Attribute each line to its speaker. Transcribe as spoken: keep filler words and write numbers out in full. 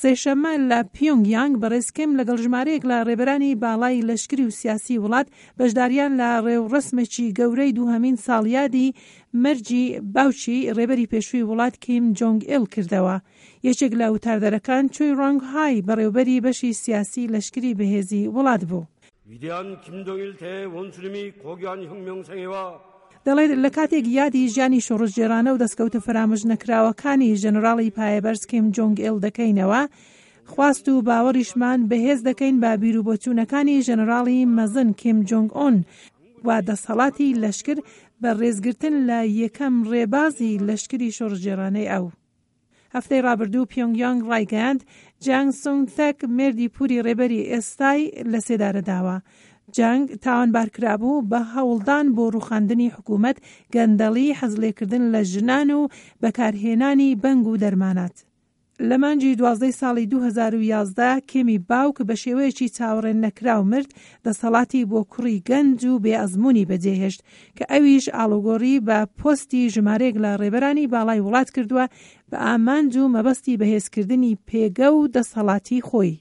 Speaker 1: سێشەممە لە پیۆنگ یانگ بەڕێز کیم لەگەڵ ژمارەیەک لە ڕێبەرانی باڵای لەشکری و سیاسی وڵات بەشداریان لە ڕێوڕەسمێکی گەورەی دووهەمین ساڵیادی مەرگی باوکی ڕێبەری پێشووی وڵات کیم جۆنگ ئیل کردەوە. یەکێک لە وتاردەرەکان چۆی ڕۆنگ های بەڕێوبەری بەشی سیاسی لەشکری بەهێزی وڵات بوو.
Speaker 2: 위대한 김정일 대원수님의 고귀한 혁명생애와
Speaker 1: دەڵێت لە کاتێک یادی ژیانی شۆڕشگێڕانە و دەستکەوتە فەرامۆش نەکراوەکانی ژەنەراڵی پایەبەرز کیم جۆنگ ئیل دەکەینەوە، خواست و باوەڕیشمان بەهێز دەکەین بە بیروبۆچوونەکانی ژەنەراڵی مەزن کیم جۆنگ ئۆن و دەسەڵاتی لەشکر بە ڕێزگرتن لە یەکەم ڕێبازی لەشکری شۆڕشگێڕانەی ئەو. هەفتەی ڕابردوو پیۆنگیانگ ڕایگەیاند جانگ سونگ تەک مێردی پوری ڕێبەری ئێستای لە سێدارە داوە. جانگ تاوانبارکرابوو بە هەوڵدان بۆ ڕوخاندنی حکوومەت، گەندەڵی، حەزلێکردن لە ژنان و بەکارهێنانی بەنگ و دەرمانات. لە مانگی دوازدەی ساڵی دوو هەزار و یازدە کێمی باوک بە شێوەیەکی چاوەڕێن نەکراو مرد، دەسەڵاتی بۆ کوڕی گەنج و بێئەزمموی بەجێهێشت کە ئەویش ئاڵوگۆڕی بە پۆستی ژمارەیەک لە ڕێبەرانی باڵای وڵات کردووە بە ئامانج و مەبەستی بەهێزکردنی پێگە و دەسەڵاتی خۆی.